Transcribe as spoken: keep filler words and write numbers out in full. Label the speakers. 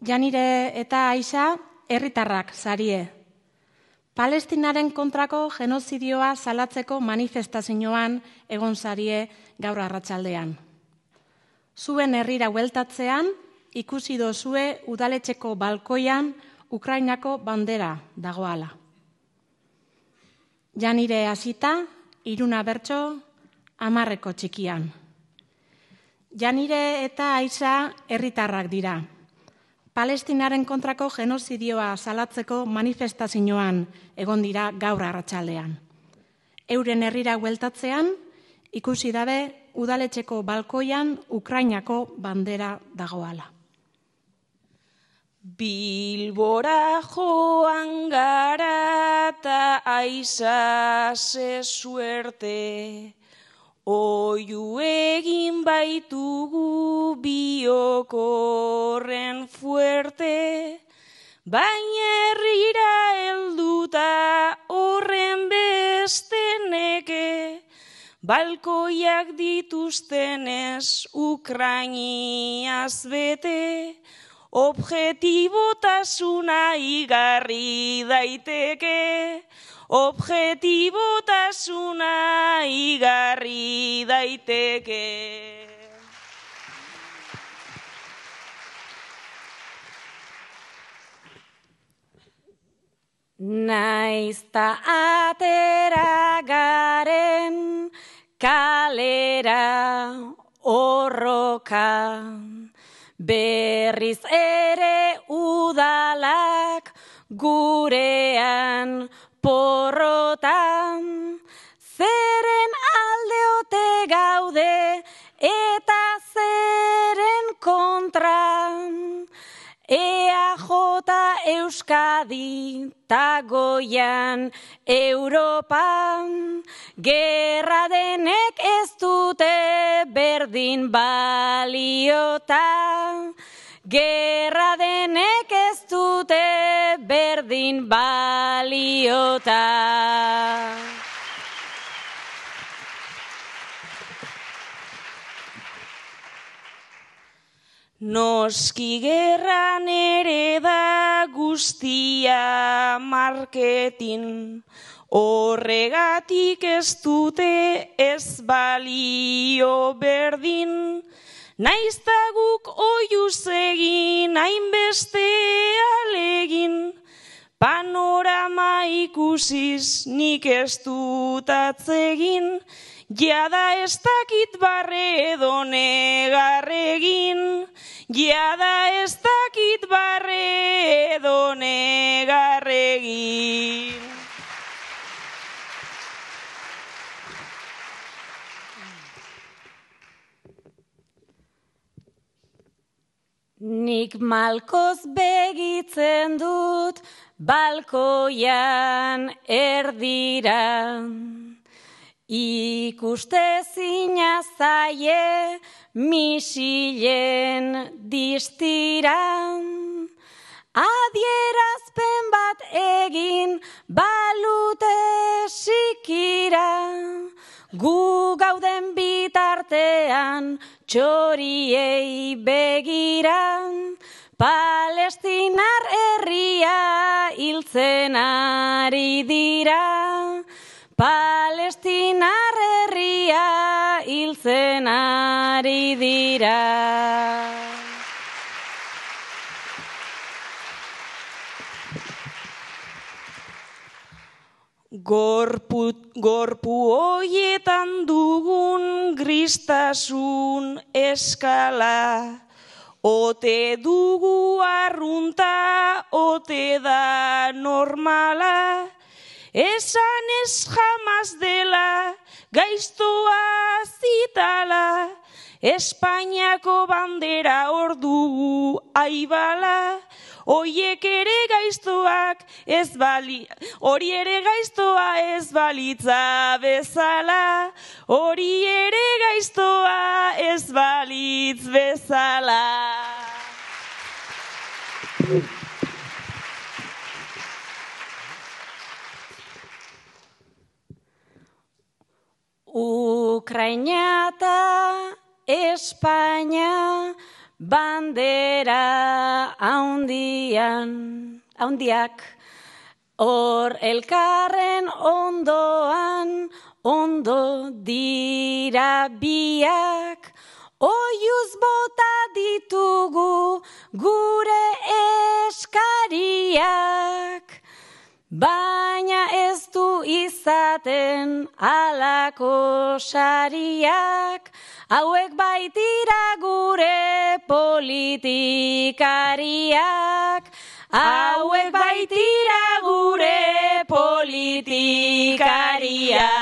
Speaker 1: Janire eta Aixa herritarrak sarie. Palestinaren kontrako genozidioa salatzeko manifestazioan egon sarie gaur arratsaldean. Zuen herrira hueltatzean ikusi dozue udaletxeko balkoian Ukrainako bandera dagoala. Janire hasita, Iruna bertso, hamarreko txikian. Janire eta Aixa herritarrak dira. Palestinaren kontrako genozidioa salatzeko manifestazioan egon dira gaur arratsaldean. Euren herrira hueltatzean ikusi dabe udaletxeko balkoian Ukrainako bandera dagoala.
Speaker 2: Bilbora joan gara ta Aixa ze suerte, oiu egin baitugu biokorren fuerte, baina herrira helduta horren beste neke, balkoiak dituztenez Ukrainiaz bete, objetibotasuna igarri daiteke, objetibotasuna igarri daiteke.
Speaker 3: Naizta atera garen kalera horroka, berriz ere udalak gurean porrotan, zeren aldeote gaude eta zeren kontra, E A J Euskadi ta goian Europan, gerra denek ez dute berdin baliota, gerra denek ez dute berdin baliota.
Speaker 2: Noski gerran ere da guztia marketin, horregatik ez dute ez balio berdin, naizta guk oiuz egin hainbeste alegin, panorama ikusiz nik ez dut atzegin, jada ez dakit barre edo negarregin, jada ez dakit barre edo negarregin.
Speaker 3: Nik malkoz begitzen dut balkoian erdira, ikustezina zaie misilen distira, adierazpen bat egin balute sikira, gu gauden bitartean txoriei begira, Palestinar herria hiltzen ari dira, Palestinar herria hiltzen ari dira.
Speaker 2: Gorpu, gorpu hoietan dugun gristasun eskala, ote dugu arrunta, ote da normala, esan ez jamaz dela, gaiztoa zitala, Espainiako bandera hor dugu aibala, Oiek ere gaiztoak ez bali, hori ere gaiztoa ez balitza bezala, hori ere gaiztoa ez balitz bezala.
Speaker 3: Ukraina eta Espainia bandera haundian, haundiak, hor elkarren ondoan, ondo dira biak, oiuz bota ditugu gure eskariak, baina ez du izaten alako sariak, hauek baitira gure politikariak, hauek baitira gure politikariak.